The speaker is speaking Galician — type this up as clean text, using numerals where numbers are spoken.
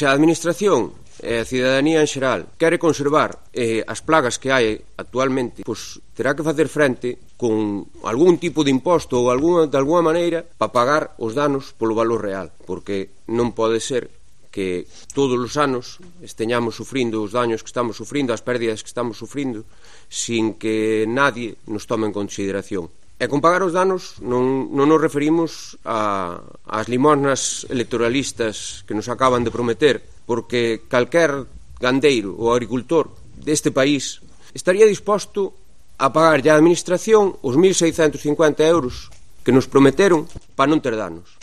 se a administración e a cidadanía en xeral quere conservar as plagas que hai actualmente, pois terá que facer frente con algún tipo de imposto ou de alguna maneira para pagar os danos polo valor real, porque non pode ser que todos os anos esteñamos sufrindo os daños que estamos sufrindo, as pérdidas que estamos sufrindo, sin que nadie nos tome en consideración. E con pagar os danos non nos referimos ás limosnas electoralistas que nos acaban de prometer, porque calquer gandeiro ou agricultor deste país estaría disposto a pagar á administración os 1.650 euros que nos prometeron para non ter danos.